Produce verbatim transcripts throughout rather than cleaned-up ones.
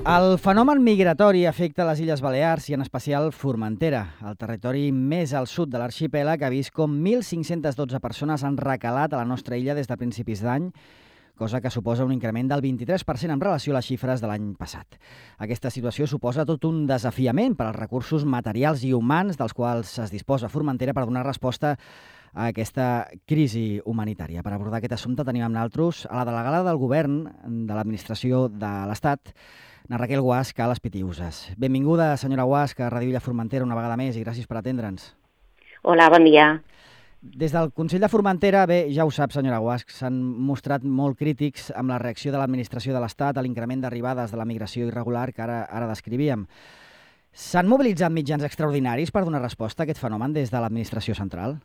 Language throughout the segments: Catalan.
El fenomen migratori afecta les Illes Balears i en especial Formentera, el territori més al sud de l'arxipèlag, ha vist com mil cinc-centes dotze persones han recalat a la nostra illa des de principis d'any, cosa que suposa un increment del vint-i-tres per cent en relació a les xifres de l'any passat. Aquesta situació suposa tot un desafiament per als recursos materials i humans dels quals es disposa Formentera per donar resposta a aquesta crisi humanitària. Per abordar aquest assumpte tenim amb nosaltres a la delegada del Govern de l'Administració de l'Estat, na Raquel Guasca, a les Pitiüses. Benvinguda, senyora Guasca, a Ràdio Illa Formentera una vegada més i gràcies per atendre'ns. Hola, bon dia. Des del Consell de Formentera, bé, ja ho sap, senyora Guasc, s'han mostrat molt crítics amb la reacció de l'administració de l'Estat a l'increment d'arribades de la migració irregular que ara, ara descrivíem. S'han mobilitzat mitjans extraordinaris per donar resposta a aquest fenomen des de l'administració central?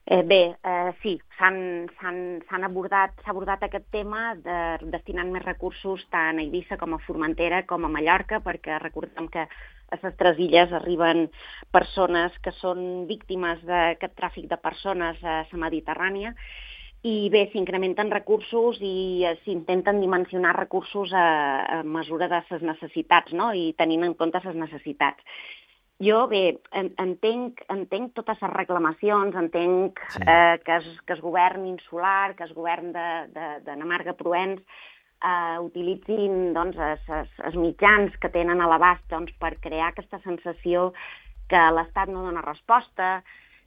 Eh, bé, eh, sí, s'han abordat, s'ha abordat aquest tema de, destinant més recursos tant a Eivissa com a Formentera com a Mallorca, perquè recordem que a les tres illes arriben persones que són víctimes d'aquest tràfic de persones a la Mediterrània, i bé, s'incrementen recursos i s'intenten dimensionar recursos a, a mesura de les necessitats, no? I tenint en compte les necessitats. Jo, bé, entenc, entenc totes les reclamacions, entenc sí. eh, que, es, que el govern insular, que el govern de, de, de Namarga-Provenç eh, utilitzin doncs, es, es, els mitjans que tenen a l'abast doncs, per crear aquesta sensació que l'Estat no dona resposta,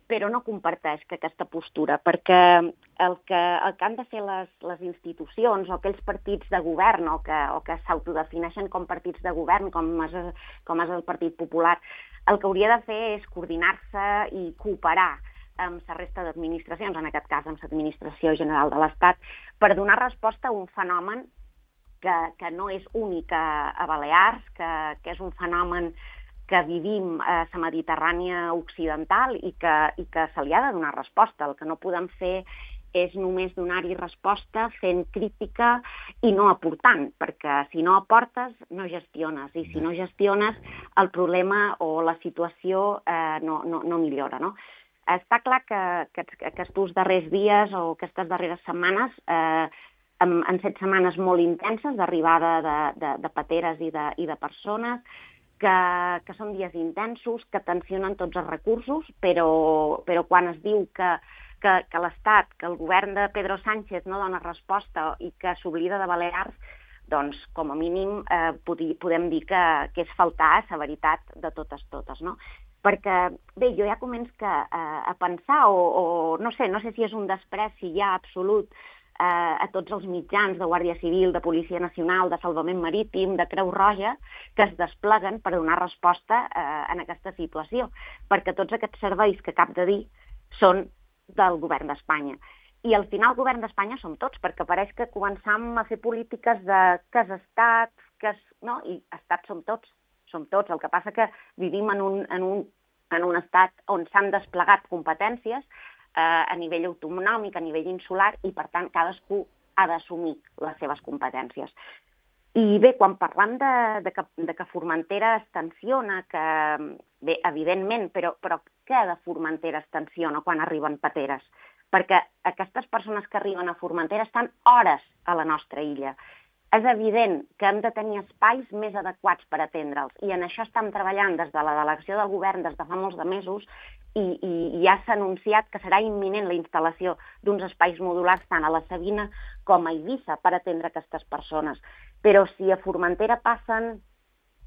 però no comparteix que aquesta postura, perquè el que, el que han de fer les, les institucions o aquells partits de govern o que, o que s'autodefineixen com partits de govern, com és, com és el Partit Popular, el que hauria de fer és coordinar-se i cooperar amb la resta d'administracions, en aquest cas amb l'Administració General de l'Estat, per donar resposta a un fenomen que, que no és únic a, a Balears, que, que és un fenomen que vivim a la Mediterrània occidental i que, i que se li ha de donar resposta. El que no podem fer és només donar-hi resposta fent crítica i no aportant, perquè si no aportes no gestiones, i si no gestiones el problema o la situació eh, no, no, no millora, no? Està clar que, que, que aquests darrers dies o aquestes darreres setmanes, eh, en, en set setmanes molt intenses d'arribada de, de, de pateres i de, i de persones, que, que són dies intensos, que tensionen tots els recursos, però, però quan es diu que que, que l'Estat, que el govern de Pedro Sánchez no dona resposta i que s'oblida de Balears, doncs, com a mínim, eh, podem dir que, que és faltar a la veritat de totes totes, no? Perquè, bé, jo ja començo que, eh, a pensar, o, o no sé, no sé si és un despreci ja absolut eh, a tots els mitjans de Guàrdia Civil, de Policia Nacional, de Salvament Marítim, de Creu Roja, que es despleguen per donar resposta eh, en aquesta situació, perquè tots aquests serveis que acabo de dir són del govern d'Espanya. I al final el govern d'Espanya som tots, perquè pareix que començam a fer polítiques de que és estat, que és... no? I estat som tots, som tots. El que passa que vivim en un, en un, en un estat on s'han desplegat competències eh, a nivell autonòmic, a nivell insular, i per tant cadascú ha d'assumir les seves competències. I bé, quan parlam de, de, que, de que Formentera es tensiona, que, bé, evidentment, però, però què de Formentera es tensiona quan arriben pateres? Perquè aquestes persones que arriben a Formentera estan hores a la nostra illa. És evident que hem de tenir espais més adequats per atendre'ls, i en això estem treballant des de la delegació del govern des de fa molts de mesos, i, i ja s'ha anunciat que serà imminent la instal·lació d'uns espais modulars tant a la Sabina com a Eivissa per atendre aquestes persones. Però si a Formentera passen,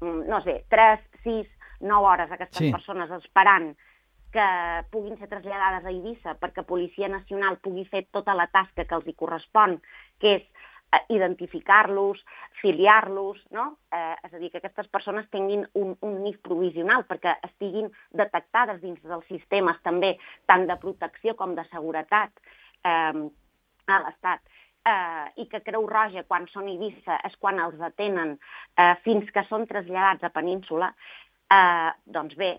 no sé, tres, sis, nou hores aquestes sí. persones esperant que puguin ser traslladades a Eivissa perquè Policia Nacional pugui fer tota la tasca que els hi correspon, que és identificar-los, filiar-los, no? Eh, és a dir, que aquestes persones tinguin un, un N I F provisional perquè estiguin detectades dins dels sistemes també, tant de protecció com de seguretat eh, a l'Estat. Eh, i que Creu Roja, quan són a Eivissa, és quan els detenen eh, fins que són traslladats a Península, eh, doncs bé,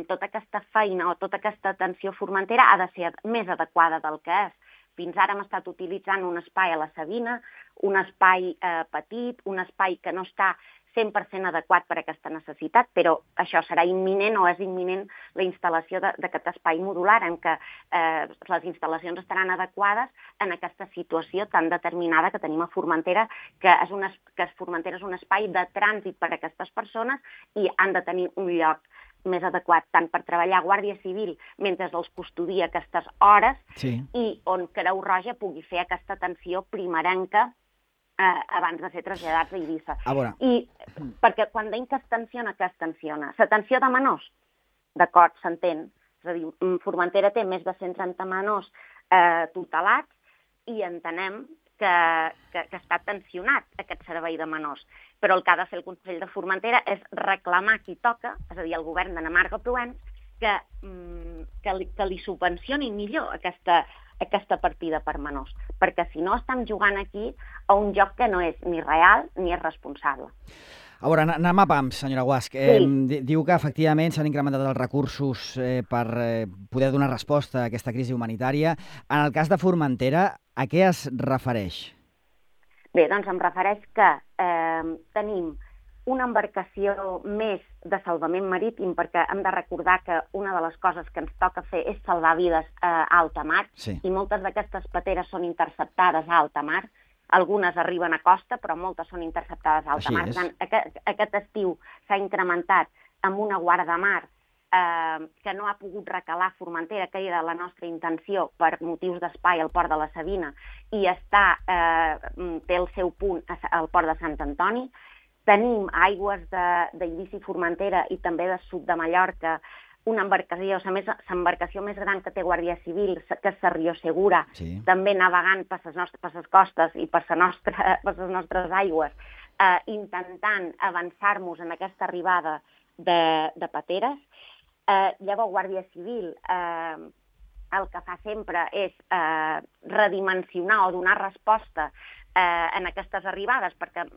tota aquesta feina o tota aquesta atenció formentera ha de ser més adequada del que és. Fins ara hem estat utilitzant un espai a la Sabina, un espai eh, petit, un espai que no està cent per cent adequat per a aquesta necessitat, però això serà imminent o és imminent la instal·lació d'aquest espai modular en què eh, les instal·lacions estaran adequades en aquesta situació tan determinada que tenim a Formentera, que, és una, que Formentera és un espai de trànsit per a aquestes persones i han de tenir un lloc més adequat tant per treballar Guàrdia Civil mentre els custodia aquestes hores sí. i on Creu Roja pugui fer aquesta atenció primerenca eh, abans de ser traslladats a Eivissa. A veure. I perquè quan deim que es tensiona, què es tensiona? L'atenció de menors, d'acord, s'entén. És a dir, Formentera té més de cent trenta menors eh, tutelats i entenem que, que, que està tensionat aquest servei de menors. Però el que ha de fer el Consell de Formentera és reclamar qui toca, és a dir, el govern de Namarga Provenç, que, que, li, que li subvencionin millor aquesta, aquesta partida per menors, perquè si no estem jugant aquí a un joc que no és ni real ni és responsable. A veure, anem a pams, senyora Guasch. Sí. Eh, diu que efectivament s'han incrementat els recursos eh, per eh, poder donar resposta a aquesta crisi humanitària. En el cas de Formentera, a què es refereix? Bé, doncs em refereix que eh, tenim una embarcació més de salvament marítim, perquè hem de recordar que una de les coses que ens toca fer és salvar vides a alta mar, sí. i moltes d'aquestes pateres són interceptades a alta mar. Algunes arriben a costa, però moltes són interceptades a alta Així mar. és. Tant, aquest, aquest estiu s'ha incrementat amb una guardamar eh, que no ha pogut recalar Formentera, que era la nostra intenció per motius d'espai al port de la Sabina, i està, eh, té el seu punt al port de Sant Antoni. Tenim aigües d'Eivissa i Formentera i també de sud de Mallorca, una embarcació, l'embarcació més gran que té Guàrdia Civil, que és la Rio Segura, sí. també navegant per les nostres, per les costes i per, nostra, per les nostres aigües, eh, intentant avançar-nos en aquesta arribada de, de pateres. Eh, llavors, Guàrdia Civil eh, el que fa sempre és eh, redimensionar o donar resposta eh, en aquestes arribades, perquè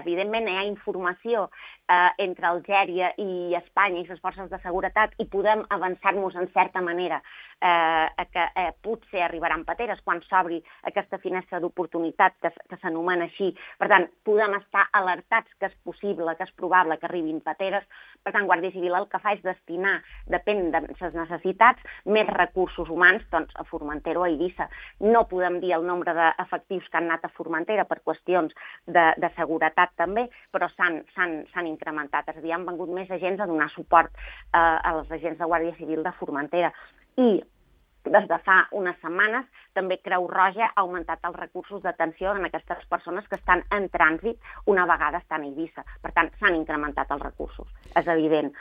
evidentment hi ha informació eh, entre Algèria i Espanya i les forces de seguretat i podem avançar-nos en certa manera eh, que eh, potser arribaran pateres quan s'obri aquesta finestra d'oportunitat que, que s'anomena així. Per tant, podem estar alertats que és possible, que és probable que arribin pateres. Per tant, Guàrdia Civil el que fa és destinar, depèn de les necessitats, més recursos humans doncs, a Formentera o a Eivissa. No podem dir el nombre d'efectius que han anat a Formentera per qüestions de, de seguretat també, però s'han incrementat. És a dir, han vengut més agents a donar suport eh, als agents de Guàrdia Civil de Formentera. I des de fa unes setmanes també Creu Roja ha augmentat els recursos d'atenció en aquestes persones que estan en trànsit una vegada estan a Eivissa. Per tant, s'han incrementat els recursos, és evident.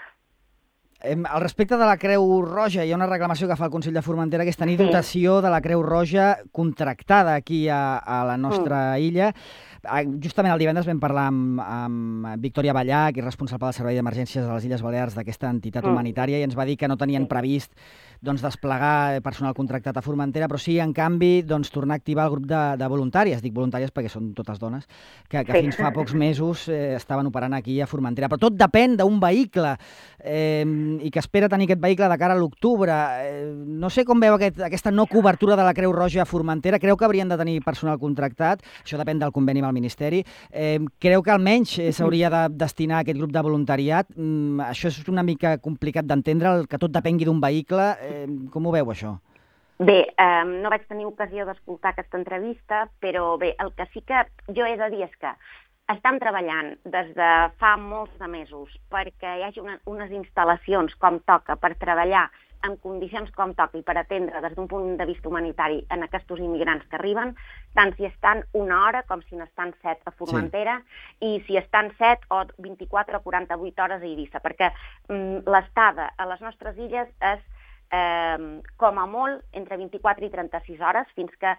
Al respecte de la Creu Roja, hi ha una reclamació que fa el Consell de Formentera, que és tenir dotació de la Creu Roja contractada aquí a, a la nostra mm. illa. Justament el divendres vam parlar amb, amb Victòria Ballach, que és responsable del Servei d'Emergències a les Illes Balears d'aquesta entitat humanitària, i ens va dir que no tenien previst doncs, desplegar personal contractat a Formentera, però sí, en canvi, doncs, tornar a activar el grup de, de voluntàries, dic voluntàries perquè són totes dones, que, que sí. fins fa pocs mesos eh, estaven operant aquí a Formentera. Però tot depèn d'un vehicle eh, i que espera tenir aquest vehicle de cara a l'octubre. Eh, no sé com veu aquest, aquesta no cobertura de la Creu Roja a Formentera. Creu que haurien de tenir personal contractat? Això depèn del conveni amb el Ministeri. Eh, creu que almenys eh, s'hauria de destinar a aquest grup de voluntariat? Mm, això és una mica complicat d'entendre, que tot depengui d'un vehicle. Eh, com ho veu, això? Bé, eh, no vaig tenir ocasió d'escoltar aquesta entrevista, però bé, el que sí que jo he de dir és que estan treballant des de fa molts de mesos perquè hi hagi una, unes instal·lacions com toca per treballar en condicions com toca i per atendre des d'un punt de vista humanitari en aquests immigrants que arriben, tant si estan una hora com si n'estan set a Formentera, sí. i si estan set o vint-i-quatre o quaranta-vuit hores a Eivissa, perquè mm, l'estada a les nostres illes és Eh, com a molt entre vint-i-quatre i trenta-sis hores, fins que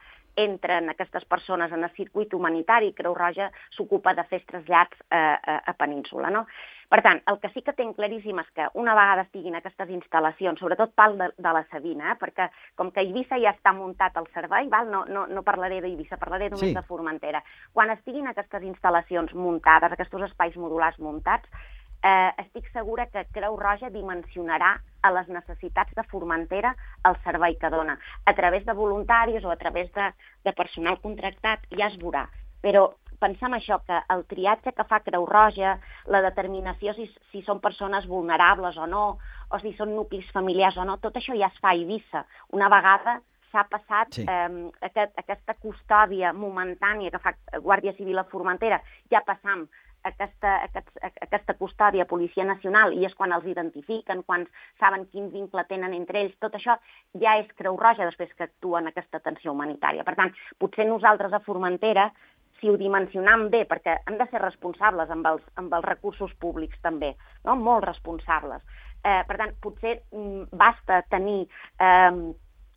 entren aquestes persones en el circuit humanitari. Creu Roja s'ocupa de fer trasllats eh, a, a Península, no? Per tant, el que sí que tinc claríssim és que una vegada estiguin aquestes instal·lacions, sobretot pal de, de la Sabina, eh, perquè com que a Eivissa ja està muntat el servei, val? No, no, no parlaré d'Eivissa, parlaré només sí. de Formentera. Quan estiguin aquestes instal·lacions muntades, aquests espais modulars muntats, Eh, estic segura que Creu Roja dimensionarà a les necessitats de Formentera el servei que dona. A través de voluntaris o a través de, de personal contractat ja es veurà. Però pensem això, que el triatge que fa Creu Roja, la determinació si, si són persones vulnerables o no, o si són nuclis familiars o no, tot això ja es fa a Eivissa. Una vegada s'ha passat sí. eh, aquest, aquesta custòdia momentània que fa Guàrdia Civil a Formentera, ja passam aquesta, aquest, aquesta custòdia a Policia Nacional, i és quan els identifiquen, quan saben quin vincle tenen entre ells, tot això ja és Creu Roja després que actua en aquesta atenció humanitària. Per tant, potser nosaltres a Formentera, si ho dimensionam bé, perquè hem de ser responsables amb els, amb els recursos públics també, no? Molt responsables. Eh, per tant, potser mm, basta tenir eh,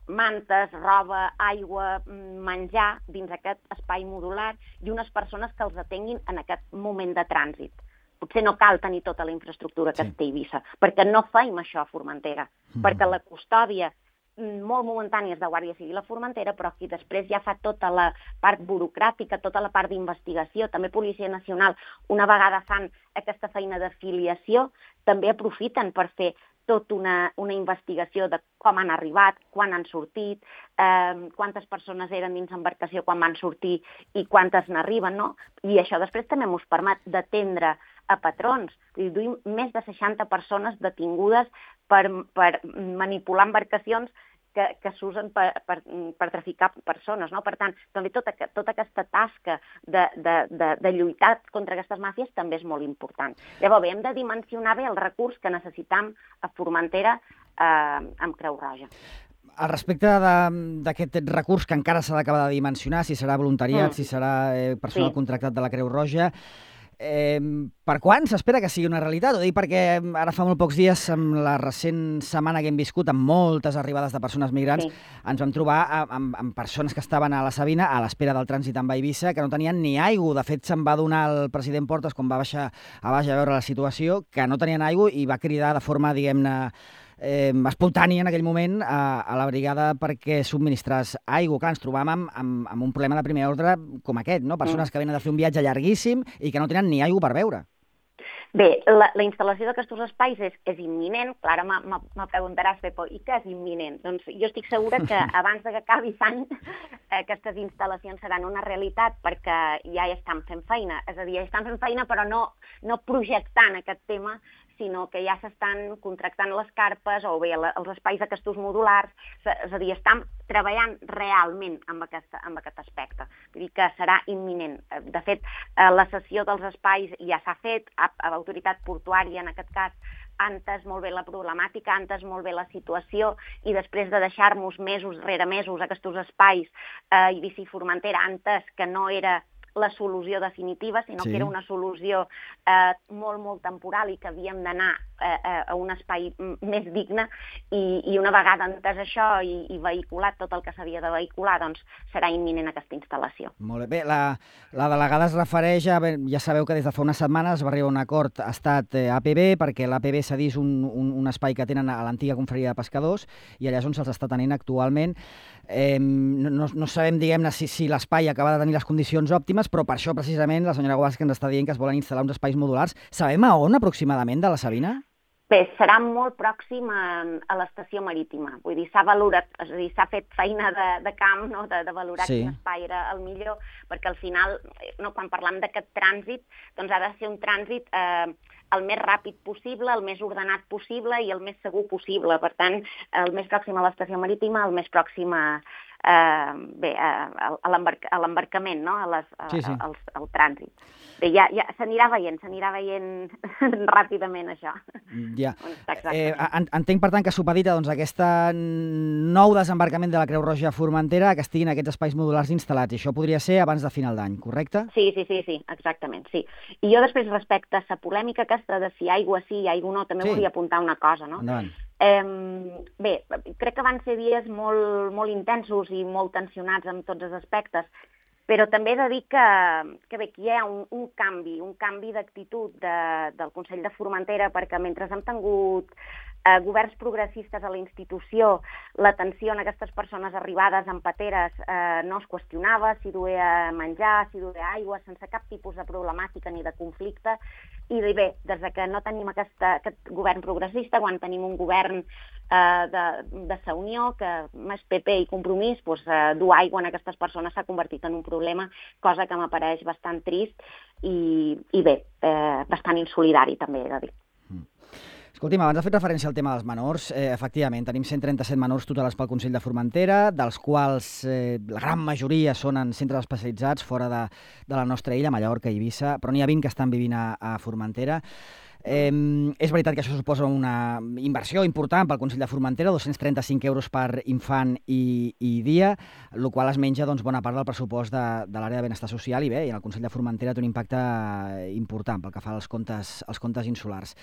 mantes, roba, aigua, menjar dins aquest espai modular i unes persones que els atenguin en aquest moment de trànsit. Potser no cal tenir tota la infraestructura que sí. té Eivissa, perquè no feim això a Formentera, mm. perquè la custòdia molt momentània és de Guàrdia Civil a Formentera, però qui després ja fa tota la part burocràtica, tota la part d'investigació, també Policia Nacional, una vegada fan aquesta feina de filiació, també aprofiten per fer tota una, una investigació de com han arribat, quan han sortit, eh, quantes persones eren dins l'embarcació quan van sortir i quantes n'arriben, no? I això després també ens permet d'atendre a patrons. Duim més de seixanta persones detingudes per, per manipular embarcacions que, que s'usen per, per, per traficar persones, no? Per tant, també tota, tota aquesta tasca de, de, de, de lluitar contra aquestes màfies també és molt important. Llavors, bé, hem de dimensionar bé el recurs que necessitam a Formentera eh, amb Creu Roja. Al respecte d'aquest recurs que encara s'ha d'acabar de dimensionar, si serà voluntariat, mm. si serà eh, personal sí. contractat de la Creu Roja, Eh, per quan s'espera que sigui una realitat? Ho dic perquè ara fa molt pocs dies, amb la recent setmana que hem viscut, amb moltes arribades de persones migrants, sí. ens vam trobar amb, amb persones que estaven a la Sabina a l'espera del trànsit amb Eivissa, que no tenien ni aigua. De fet, se'n va donar el president Portas, quan va baixar a baix a veure la situació, que no tenien aigua i va cridar de forma, diguem-ne, Eh, espontània en aquell moment a, a la brigada perquè subministrés aigua. Clar, ens trobàvem amb, amb, amb un problema de primer ordre com aquest, no? Persones mm. que venen de fer un viatge llarguíssim i que no tenen ni aigua per beure. Bé, la, la instal·lació d'aquests espais és, és imminent. Clar, ara me preguntaràs, Pepo, i què és imminent? Doncs jo estic segura que abans que acabi l'any aquestes instal·lacions seran una realitat, perquè ja hi estan fent feina. És a dir, ja estan fent feina però no, no projectant aquest tema, sinó que ja s'estan contractant les carpes o bé els espais d'aquests modulars, és a dir, estan treballant realment amb, aquesta, amb aquest aspecte. Vull dir que serà imminent. De fet, la cessió dels espais ja s'ha fet, a, a l'autoritat portuària en aquest cas, ha entès molt bé la problemàtica, ha entès molt bé la situació i després de deixar-nos mesos rere mesos aquests espais, eh, Eivissa i Formentera ha entès que no era la solució definitiva, sinó sí. que era una solució eh, molt, molt temporal i que havíem d'anar eh, a un espai més digne i, i una vegada entès això i, i vehiculat tot el que s'havia de vehicular, doncs serà imminent aquesta instal·lació. Molt bé. Bé, la, la delegada es refereix a... Bé, ja sabeu que des de fa unes setmanes va arribar un acord Estat-A P B perquè l'A P B cedís un, un, un espai que tenen a l'antiga confraria de pescadors i allà és on se'ls està tenint actualment. Eh, no, no, no sabem, diguem-ne, si, si l'espai acaba de tenir les condicions òptimes, però per això, precisament, la senyora Guasca ens està dient que es volen instal·lar uns espais modulars. Sabem a on, aproximadament, de la Sabina? Bé, serà molt pròxim a, a l'estació marítima. Vull dir, s'ha valorat, és a dir, s'ha fet feina de, de camp, no?, de, de valorar sí. quin espai era el millor, perquè al final, no, quan parlem d'aquest trànsit, doncs ha de ser un trànsit eh, el més ràpid possible, el més ordenat possible i el més segur possible. Per tant, el més pròxim a l'estació marítima, el més pròxim a, eh, bé, a, a l'embarcament, no?, a les, a, sí, sí. Al, al trànsit. Bé, ja, ja s'anirà veient, s'anirà veient ràpidament això. Ja. Eh, entenc, per tant, que supedita doncs, aquest nou desembarcament de la Creu Roja a Formentera que estiguin aquests espais modulars instal·lats. I això podria ser abans de final d'any, correcte? Sí, sí, sí, sí, exactament, sí. I jo després, respecte a la polèmica aquesta de si aigua sí, aigua no, també sí. volia apuntar una cosa, no? Endavant. Eh, bé, crec que van ser dies molt, molt intensos i molt tensionats en tots els aspectes, però també he de dir que, que bé, que hi ha un, un canvi, un canvi d'actitud de, del Consell de Formentera, perquè mentre hem tingut eh, governs progressistes a la institució, l'atenció a aquestes persones arribades en pateres eh, no es qüestionava, si duia menjar, si duia aigua, sense cap tipus de problemàtica ni de conflicte. I bé, des que no tenim aquesta, aquest govern progressista, quan tenim un govern eh, de, de sa Unió, que més P P i Compromís, doncs, eh, dur aigua en aquestes persones s'ha convertit en un problema, cosa que m'apareix bastant trist i, i bé, eh, bastant insolidari també, he de dir. Escolti'm, abans ha fet referència al tema dels menors. Eh, efectivament, tenim cent trenta-set menors tutelats pel Consell de Formentera, dels quals eh, la gran majoria són en centres especialitzats fora de, de la nostra illa, Mallorca i Eivissa, però n'hi ha vint que estan vivint a, a Formentera. Eh, és veritat que això suposa una inversió important pel Consell de Formentera, dos-cents trenta-cinc euros per infant i, i dia, el qual es menja doncs, bona part del pressupost de, de l'àrea de benestar social i bé, i el Consell de Formentera té un impacte important pel que fa als comptes, als comptes insulars.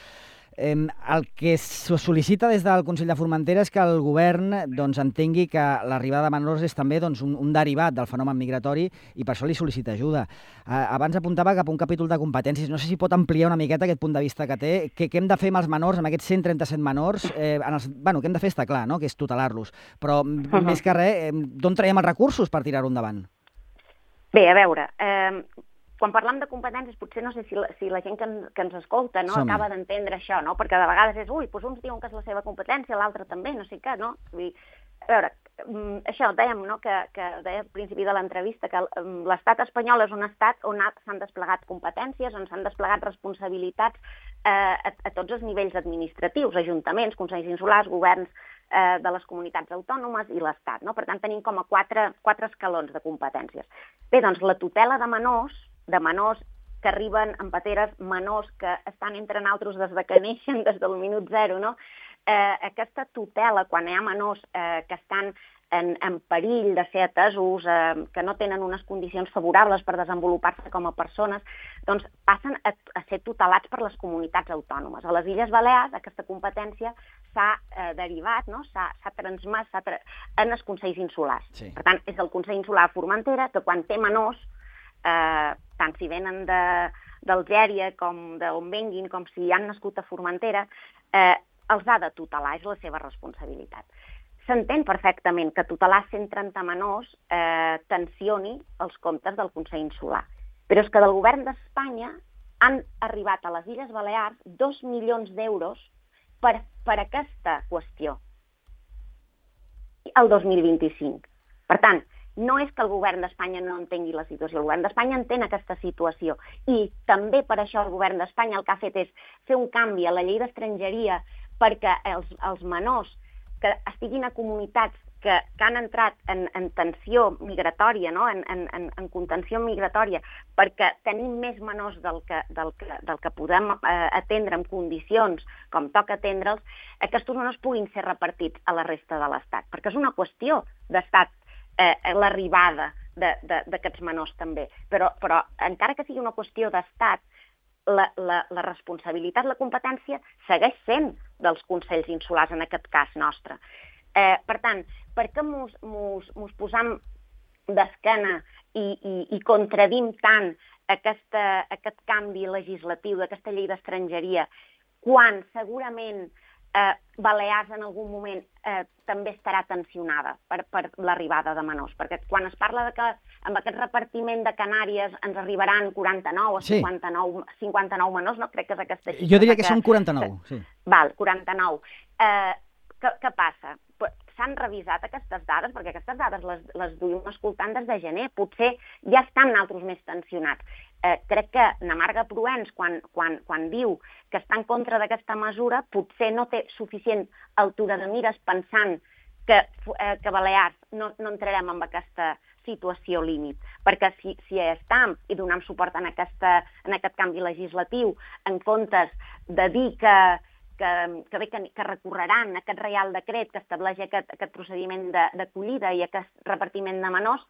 Eh, el que se sol·licita des del Consell de Formentera és que el govern doncs, entengui que l'arribada de menors és també doncs, un, un derivat del fenomen migratori i per això li sol·licita ajuda. Eh, abans apuntava cap a un capítol de competències. No sé si pot ampliar una miqueta aquest punt de vista que té. Què, què hem de fer amb els menors, amb aquests cent trenta-set menors? Eh, en els, bueno, què hem de fer està clar, no? Que és tutelar-los. Però uh-huh. més que res, eh, d'on traiem els recursos per tirar-ho endavant? Bé, a veure... Eh... Quan parlem de competències, potser no sé si la, si la gent que, en, que ens escolta no, acaba d'entendre això, no? Perquè de vegades és, ui, doncs uns diuen que és la seva competència, l'altre també, no sé què, no? Vull dir, a veure, això dèiem, no?, que, que deia al principi de l'entrevista, que l'estat espanyol és un estat on s'han desplegat competències, on s'han desplegat responsabilitats eh, a, a tots els nivells administratius, ajuntaments, consells insulars, governs eh, de les comunitats autònomes i l'Estat, no? Per tant, tenim com a quatre, quatre escalons de competències. Bé, doncs la tutela de menors, de menors que arriben en pateres, menors que estan entre nosaltres des de que neixen, des del minut zero, no? Eh, aquesta tutela, quan hi ha menors eh, que estan en, en perill de ser atesos, eh, que no tenen unes condicions favorables per desenvolupar-se com a persones, doncs passen a, a ser tutelats per les comunitats autònomes. A les Illes Balears aquesta competència s'ha eh, derivat, no? s'ha transmès tra... en els consells insulars. Sí. Per tant, és el Consell Insular Formentera que quan té menors, Eh, tant si venen d'Algèria com d'on venguin, com si han nascut a Formentera, eh, els ha de tutelar, és la seva responsabilitat. S'entén perfectament que tutelar cent trenta menors eh, tensioni els comptes del Consell Insular, però és que del govern d'Espanya han arribat a les Illes Balears dos milions d'euros per, per aquesta qüestió el dos mil vint-i-cinc. Per tant, no és que el govern d'Espanya no entengui la situació, el govern d'Espanya entén aquesta situació i també per això el govern d'Espanya el que ha fet és fer un canvi a la llei d'estrangeria perquè els, els menors que estiguin a comunitats que, que han entrat en, en tensió migratòria, no? en, en, en contenció migratòria, perquè tenim més menors del que, del que, del que podem eh, atendre en condicions com toca atendre'ls, aquests menors puguin ser repartits a la resta de l'Estat, perquè és una qüestió d'Estat Eh, l'arribada d'aquests menors també. Però, però encara que sigui una qüestió d'estat, la, la, la responsabilitat, la competència segueix sent dels consells insulars, en aquest cas nostre. Eh, per tant, per què mos, mos, mos posam d'esquena i, i, i contradim tant aquesta, aquest canvi legislatiu d'aquesta llei d'estrangeria quan segurament Eh, Balears en algun moment eh, també estarà tensionada per, per l'arribada de menors, perquè quan es parla de que amb aquest repartiment de Canàries ens arribaran quaranta-nou o sí. cinquanta-nou, cinquanta-nou menors, no? Crec que és aquesta xifra. Jo diria que, que són quaranta-nou, que, sí. Val, quaranta-nou. Eh, què, què passa? S'han revisat aquestes dades, perquè aquestes dades les, les duim escoltant des de gener. Potser ja estan altres més tensionats. Eh, crec que Namarga Proens, quan, quan, quan diu que està en contra d'aquesta mesura, potser no té suficient altura de mires pensant que, eh, que Balears no, no entrarem en aquesta situació límit, perquè si, si estem i donem suport en, aquesta, en aquest canvi legislatiu, en comptes de dir que Que, que bé que, que recorreran aquest Reial Decret que estableix aquest, aquest procediment d'acollida i aquest repartiment de menors,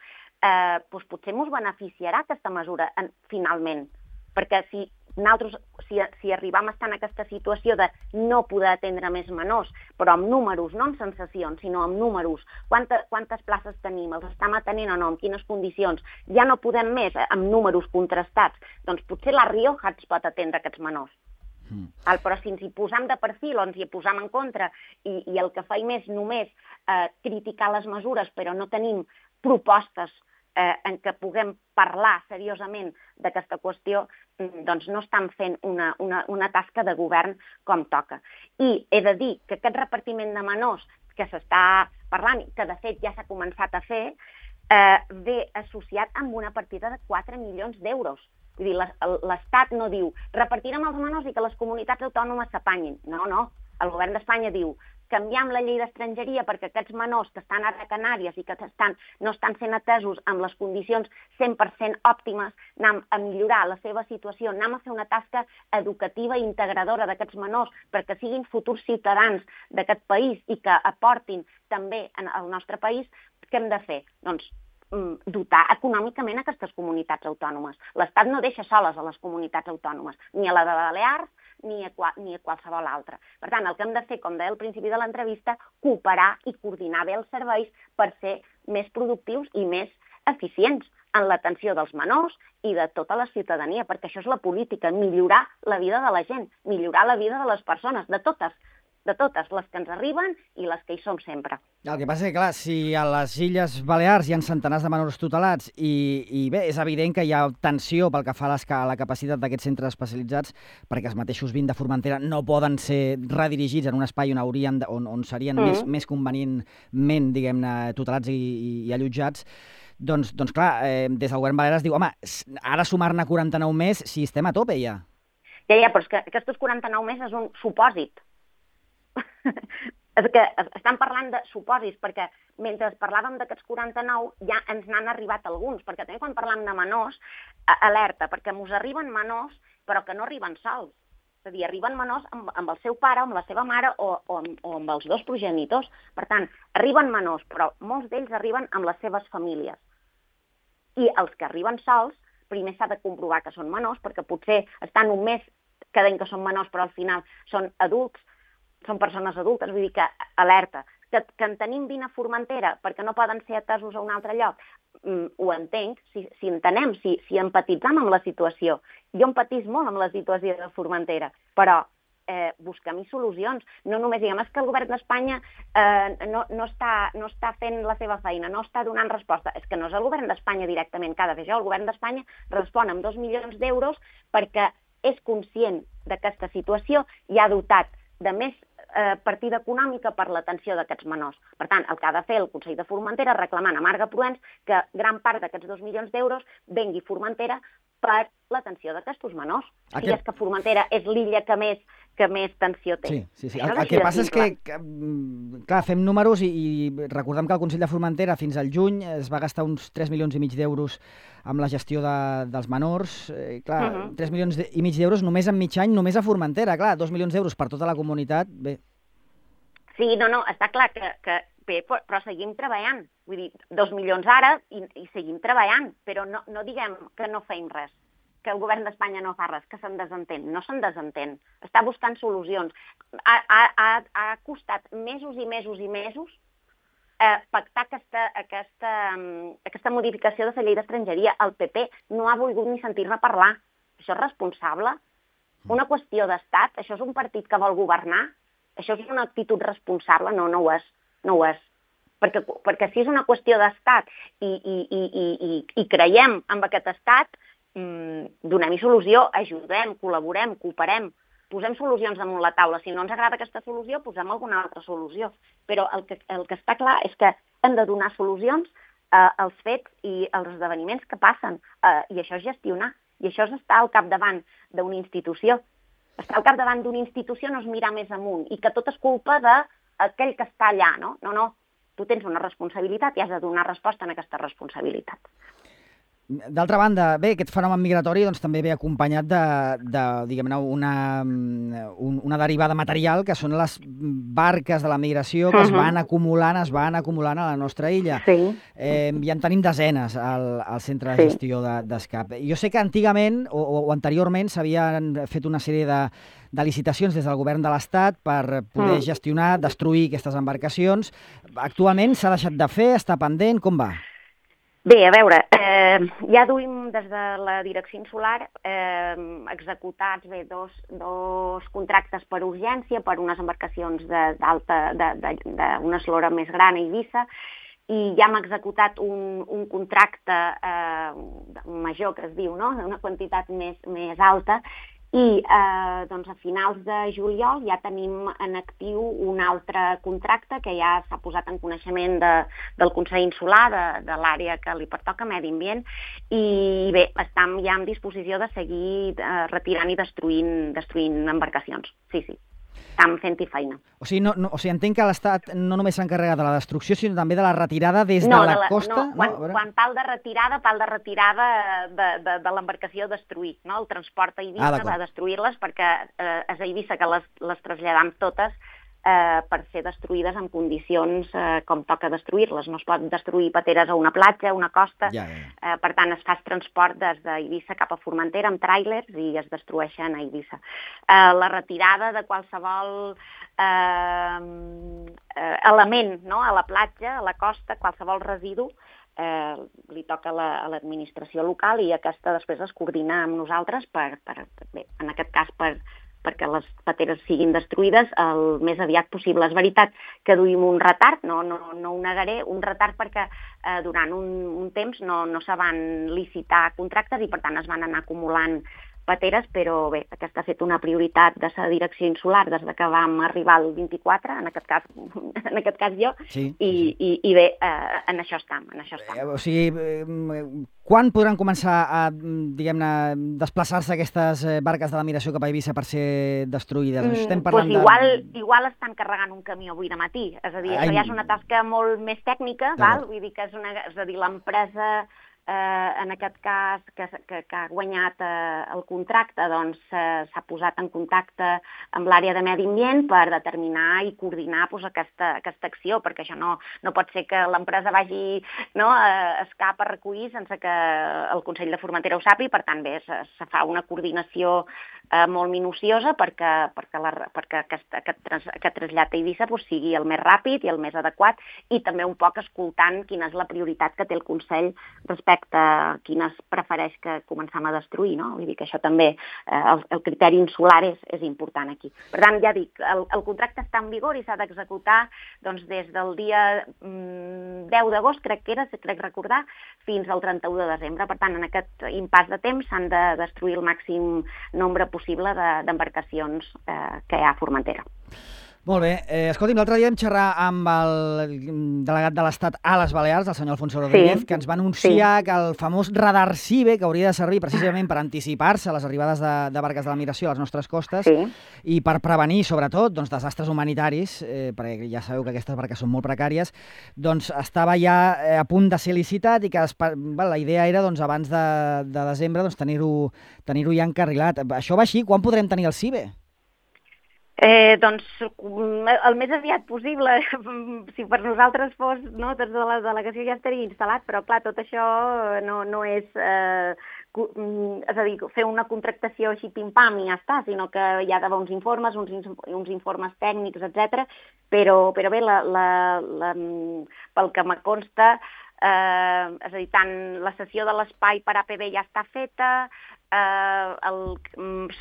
eh, doncs potser ens beneficiarà aquesta mesura en, finalment. Perquè si nosaltres, si, si arribam a estar en aquesta situació de no poder atendre més menors, però amb números, no amb sensacions, sinó amb números, quantes, quantes places tenim, els estem atenent o no, en quines condicions, ja no podem més amb números contrastats, doncs potser la Rioja ens pot atendre aquests menors. Mm. El, però si ens hi posam de perfil o ens hi posam en contra i, i el que faim és només eh, criticar les mesures però no tenim propostes eh, en què puguem parlar seriosament d'aquesta qüestió, doncs no estan fent una, una, una tasca de govern com toca. I he de dir que aquest repartiment de menors que s'està parlant, que de fet ja s'ha començat a fer, eh, ve associat amb una partida de quatre milions d'euros. Vull dir, l'Estat no diu repartirem els menors i que les comunitats autònomes s'apanyin. No, no. El govern d'Espanya diu canviem la llei d'estrangeria perquè aquests menors que estan ara a Canàries i que estan, no estan sent atesos amb les condicions cent per cent òptimes, anem a millorar la seva situació, anem a fer una tasca educativa i integradora d'aquests menors perquè siguin futurs ciutadans d'aquest país i que aportin també al nostre país. Què hem de fer? Doncs dotar econòmicament aquestes comunitats autònomes. L'Estat no deixa soles a les comunitats autònomes, ni a la de Balears ni a, ni a qualsevol altra. Per tant, el que hem de fer, com deia al principi de l'entrevista, cooperar i coordinar bé els serveis per ser més productius i més eficients en l'atenció dels menors i de tota la ciutadania, perquè això és la política, millorar la vida de la gent, millorar la vida de les persones, de totes, de totes, les que ens arriben i les que hi som sempre. El que passa és que, clar, si a les Illes Balears hi ha centenars de menors tutelats i, i bé, és evident que hi ha tensió pel que fa a, les, a la capacitat d'aquests centres especialitzats perquè els mateixos vint de Formentera no poden ser redirigits en un espai on, haurien de, on, on serien mm. més, més convenientment, diguem-ne, tutelats i, i, i allotjats. Doncs, doncs clar, eh, des del govern balear es diu, home, ara sumar-ne quaranta-nou més si estem a tope ja. Ja, ja, però és que aquests quaranta-nou més és un supòsit. És que estan parlant de supòsits, perquè mentre parlàvem d'aquests quaranta-nou ja ens n'han arribat alguns, perquè també quan parlem de menors, alerta, perquè mos arriben menors però que no arriben sols. És a dir, arriben menors amb, amb el seu pare, amb la seva mare o, o, o amb els dos progenitors. Per tant, arriben menors, però molts d'ells arriben amb les seves famílies. I els que arriben sols, primer s'ha de comprovar que són menors, perquè potser estan un mes que deien que són menors, però al final són adults, són persones adultes, vull dir que alerta. Que, que en tenim vint a Formentera perquè no poden ser atesos a un altre lloc, mm, ho entenc, si, si entenem, si, si empatitzam amb la situació. Jo empatís molt amb la situació de Formentera, però eh, busquem-hi solucions. No només diguem, és que el govern d'Espanya eh, no, no, està, no està fent la seva feina, no està donant resposta. És que no és el govern d'Espanya directament que ha de fer això. El govern d'Espanya respon amb dos milions d'euros perquè és conscient d'aquesta situació i ha dotat de més eh, partida econòmica per l'atenció d'aquests menors. Per tant, el que ha de fer el Consell de Formentera reclamant a Marga Proens que gran part d'aquests dos milions d'euros vengui Formentera per l'atenció d'aquests menors. Aquest... Si és que Formentera és l'illa que més, que més tensió té. Sí, sí, sí. El, el que passa és que, que, clar, fem números i, i recordem que el Consell de Formentera fins al juny es va gastar uns tres milions i mig d'euros amb la gestió de, dels menors. Eh, clar, uh -huh. tres milions i mig d'euros només en mig any, només a Formentera. Clar, dos milions d'euros per tota la comunitat, bé. Sí, no, no, està clar que, que bé, però seguim treballant. Vull dir, dos milions ara i, i seguim treballant, però no, no diguem que no feim res, que el govern d'Espanya no fa res, que se'n desentén. No se'n desentén. Està buscant solucions. Ha, ha, ha costat mesos i mesos i mesos eh, pactar aquesta, aquesta, aquesta modificació de la llei d'estrangeria. El P P no ha volgut ni sentir-ne parlar. Això és responsable? Una qüestió d'estat? Això és un partit que vol governar? Això és una actitud responsable? No, no ho és. No ho és. Perquè, perquè si és una qüestió d'estat i, i, i, i, i creiem en aquest estat, mmm, donem-hi solució, ajudem, col·laborem, cooperem, posem solucions damunt la taula. Si no ens agrada aquesta solució, posem alguna altra solució. Però el que, el que està clar és que hem de donar solucions eh, als fets i als esdeveniments que passen. Eh, I això és gestionar. I això és estar al capdavant d'una institució. Estar al capdavant d'una institució no és mirar més amunt i que tot és culpa d'aquell que està allà, no? No, no. Tu tens una responsabilitat i has de donar resposta a aquesta responsabilitat. D'altra banda, bé, aquest fenomen migratori doncs, també ve acompanyat de, de diguem-ne, una, una derivada material que són les barques de la migració que uh-huh. es van acumulant, es van acumulant a la nostra illa. Sí. Eh, ja en tenim desenes al, al centre de gestió de, d'escap. Jo sé que antigament o, o anteriorment s'havien fet una sèrie de, de licitacions des del govern de l'Estat per poder uh-huh. gestionar, destruir aquestes embarcacions. Actualment s'ha deixat de fer, està pendent, com va? Bé, a veure, eh, ja duim des de la direcció insular eh, executats bé, dos, dos contractes per urgència per unes embarcacions d'alta, d'una eslora més gran a Eivissa i ja hem executat un, un contracte eh, major, que es diu, no? Una quantitat més, més alta, i eh, doncs a finals de juliol ja tenim en actiu un altre contracte que ja s'ha posat en coneixement de, del Consell Insular, de, de l'àrea que li pertoca, Medi Ambient, i bé, estem ja en disposició de seguir eh, retirant i destruint, destruint embarcacions. Sí, sí. Estem fent-hi feina. O sigui, no, no, o sigui, entenc que l'Estat no només s'encarrega de la destrucció, sinó també de la retirada des no, de la, de la costa? No, quan, no, quan pal de retirada, pal de retirada de, de, de l'embarcació a destruir, no? El transport a Eivissa ah, va destruir-les perquè eh, és a Eivissa que les, les traslladam totes eh, per ser destruïdes en condicions eh, com toca destruir-les. No es pot destruir pateres a una platja, a una costa, ja, ja. Eh, per tant es fa transport des d'Eivissa cap a Formentera amb tràilers i es destrueixen a Eivissa. Eh, la retirada de qualsevol eh, eh, element, no? A la platja, a la costa, qualsevol residu, eh, li toca a l'administració local i aquesta després es coordina amb nosaltres per, per bé, en aquest cas per perquè les pateres siguin destruïdes el més aviat possible. És veritat que duim un retard, no, no, no ho negaré, un retard perquè eh, durant un, un temps no, no se van licitar contractes i per tant es van anar acumulant pateres, però bé, aquesta ha fet una prioritat de la direcció insular des que vam arribar al vint-i-quatre, en aquest cas, en aquest cas jo, sí, i, sí. i, i bé, eh, en això estem, en això estem. Eh, o sigui, eh, quan podran començar a, diguem-ne, desplaçar-se aquestes barques de la migració cap a Eivissa per ser destruïdes? Mm, Estem parlant pues igual, de... igual estan carregant un camió avui de matí, és a dir, Ai... això ja és una tasca molt més tècnica, val? Vull dir que és, una, és a dir, l'empresa Eh, en aquest cas, que, que, que ha guanyat eh, el contracte, doncs eh, s'ha posat en contacte amb l'àrea de Medi Ambient per determinar i coordinar pues, aquesta, aquesta acció, perquè això no, no pot ser que l'empresa vagi no, a escap a recollir sense que el Consell de Formentera ho sàpiga, per tant, bé, se, se fa una coordinació eh, molt minuciosa perquè, perquè, la, perquè aquest, aquest, trans, aquest trasllat a Eivissa pues, sigui el més ràpid i el més adequat i també un poc escoltant quina és la prioritat que té el Consell respecte a quines prefereix que comencem a destruir, no? Vull dir que això també, eh, el, el criteri insular és, és important aquí. Per tant, ja dic, el, el contracte està en vigor i s'ha d'executar doncs, des del dia mm, deu d'agost, crec que era, crec recordar, fins al trenta-u de desembre. Per tant, en aquest impàs de temps s'han de destruir el màxim nombre possible d'embarcacions de, eh, que hi ha a Formentera. Molt bé. Eh, escolti'm, l'altre dia vam xerrar amb el delegat de l'Estat a les Balears, el senyor Alfonso Rodríguez, sí, que ens va anunciar sí. que el famós radar CIBE, que hauria de servir precisament per anticipar-se a les arribades de, de barques de la migració a les nostres costes sí. i per prevenir, sobretot, doncs, desastres humanitaris, eh, perquè ja sabeu que aquestes barques són molt precàries, doncs estava ja a punt de ser licitat i que es, bueno, la idea era, doncs, abans de, de desembre, doncs, tenir-ho tenir-ho ja encarrilat. Això va així? Quan podrem tenir el CIBE? Eh, doncs el més aviat possible, si per nosaltres fos, no, des de la delegació ja estaria instal·lat, però clar, tot això no, no és, eh, és a dir, fer una contractació així pim-pam i ja està, sinó que hi ha d'haver uns informes, uns, uns informes tècnics, etcètera. Però, però bé, la, la, la, pel que me consta, eh, és a dir, tant la cessió de l'espai per A P B ja està feta, Eh,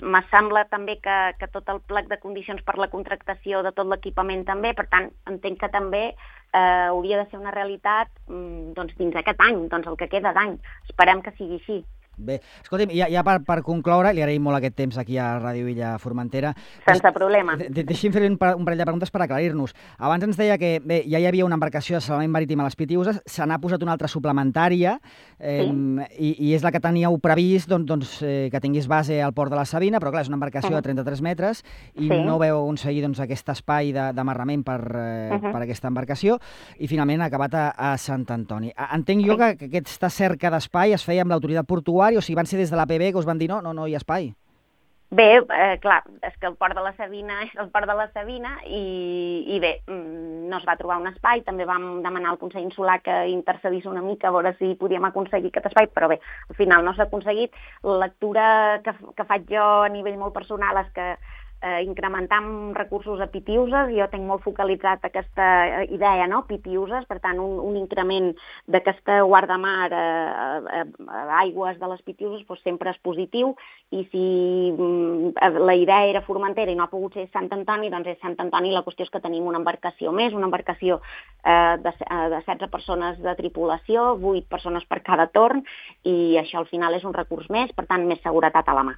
me sembla també que, que tot el plec de condicions per la contractació de tot l'equipament també, per tant entenc que també eh, hauria de ser una realitat doncs, dins aquest any, doncs el que queda d'any. Esperem que sigui així. Bé, escolti'm, ja, ja per, per concloure, li agraïm molt aquest temps aquí a Ràdio Illa Formentera. Sense problema. De, de, deixi'm fer un, un parell de preguntes per aclarir-nos. Abans ens deia que bé, ja hi havia una embarcació de salvament marítim a les Pitiüses, se n'ha posat una altra suplementària eh, sí. i, i és la que teníeu previst doncs, doncs, eh, que tingués base al port de la Sabina, però clar, és una embarcació uh -huh. de trenta-tres metres i sí. no veu aconseguir doncs, aquest espai d'amarrament per, eh, uh -huh. per aquesta embarcació i finalment ha acabat a, a Sant Antoni. Entenc jo que, que aquesta cerca d'espai es feia amb l'autoritat portuària, o sigui, van ser des de l'A P B que us van dir no, no, no hi ha espai? Bé, eh, clar, és que el port de la Sabina és el port de la Sabina i, i bé, no es va trobar un espai, també vam demanar al Consell Insular que intercedís una mica a veure si podíem aconseguir aquest espai, però bé, al final no s'ha aconseguit. La lectura que, que faig jo a nivell molt personal és que eh, incrementar amb recursos a Pitiuses. Jo tinc molt focalitzat aquesta idea, no? Pitiuses, per tant, un, un increment d'aquesta guardamar a, a, a aigües de les Pitiuses doncs sempre és positiu, i si mm, la idea era Formentera i no ha pogut ser Sant Antoni, doncs és Sant Antoni. La qüestió és que tenim una embarcació més, una embarcació eh, de, de setze persones de tripulació, vuit persones per cada torn, i això al final és un recurs més, per tant, més seguretat a la mà.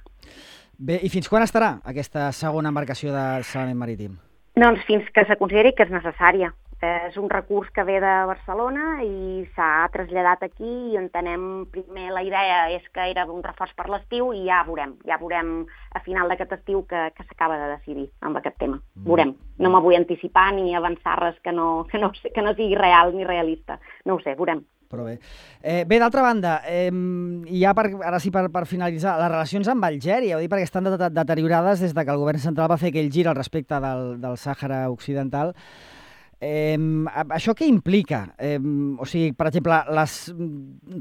Bé, i fins quan estarà aquesta segona embarcació de salvament marítim? Doncs fins que se consideri que és necessària. És un recurs que ve de Barcelona i s'ha traslladat aquí, i entenem, primer la idea és que era un reforç per l'estiu, i ja veurem, ja veurem a final d'aquest estiu que, que s'acaba de decidir amb aquest tema. Veurem. No me vull anticipar ni avançar res que no, que no, que no sigui real ni realista. No ho sé, veurem. Però bé. Eh, bé, d'altra banda, eh, ja per, ara sí per, per finalitzar, les relacions amb Algèria, ho dic perquè estan de, de, deteriorades des de que el govern central va fer aquell gir al respecte del, del Sàhara Occidental. Eh, això què implica? Eh, o sigui, per exemple, les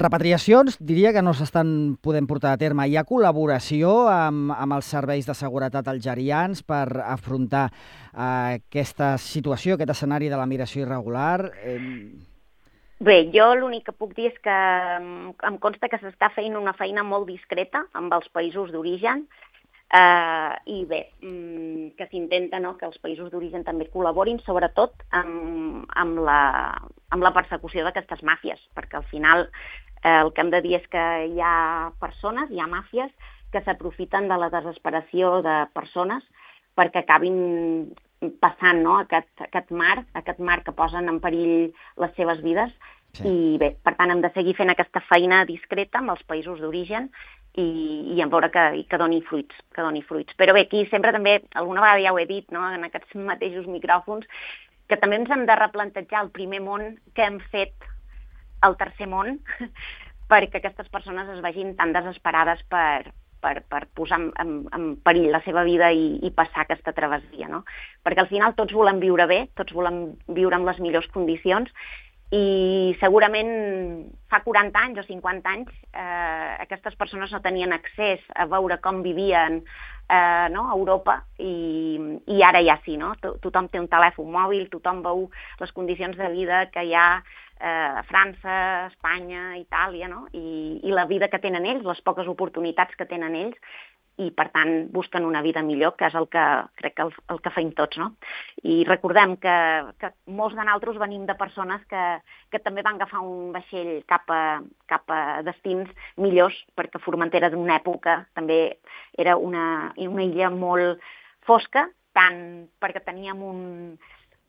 repatriacions diria que no s'estan podent portar a terme. Hi ha col·laboració amb, amb els serveis de seguretat algerians per afrontar eh, aquesta situació, aquest escenari de la migració irregular? Eh... Bé, jo l'únic que puc dir és que em consta que s'està fent una feina molt discreta amb els països d'origen, eh, i bé, que s'intenta, no?, que els països d'origen també col·laborin, sobretot amb, amb, la, amb la persecució d'aquestes màfies, perquè al final eh, el que hem de dir és que hi ha persones, hi ha màfies que s'aprofiten de la desesperació de persones perquè acabin passant, no?, aquest, aquest mar, aquest mar que posen en perill les seves vides. Sí. I bé, per tant, hem de seguir fent aquesta feina discreta amb els països d'origen i, i en veure que, que doni fruits, que doni fruits. Però bé, aquí sempre també, alguna vegada ja ho he dit, no?, en aquests mateixos micròfons, que també ens hem de replantejar el primer món que hem fet al tercer món perquè aquestes persones es vegin tan desesperades per, per, per posar en, en, en perill la seva vida i, i passar aquesta travessia, no? Perquè al final tots volem viure bé, tots volem viure en les millors condicions, i segurament fa quaranta anys o cinquanta anys eh, aquestes persones no tenien accés a veure com vivien eh, no, a Europa, i, i ara ja sí, no? Tothom té un telèfon mòbil, tothom veu les condicions de vida que hi ha eh, a França, Espanya, Itàlia, no? I, i la vida que tenen ells, les poques oportunitats que tenen ells, i per tant busquen una vida millor, que és el que crec que el, el que feim tots, no? I recordem que, que molts de nosaltres venim de persones que, que també van agafar un vaixell cap a, cap a destins millors, perquè Formentera d'una època també era una, una illa molt fosca, tant perquè teníem un,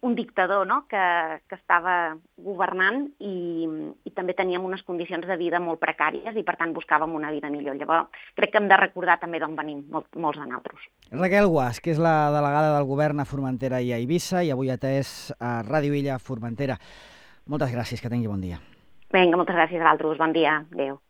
un dictador, no?, que, que estava governant, i, i també teníem unes condicions de vida molt precàries, i per tant buscàvem una vida millor. Llavors crec que hem de recordar també d'on venim molt, molts de nosaltres. Raquel Guasch, que és la delegada del govern a Formentera i a Eivissa, i avui atès a Ràdio Illa Formentera. Moltes gràcies, que tingui bon dia. Vinga, moltes gràcies a vosaltres, bon dia, adéu.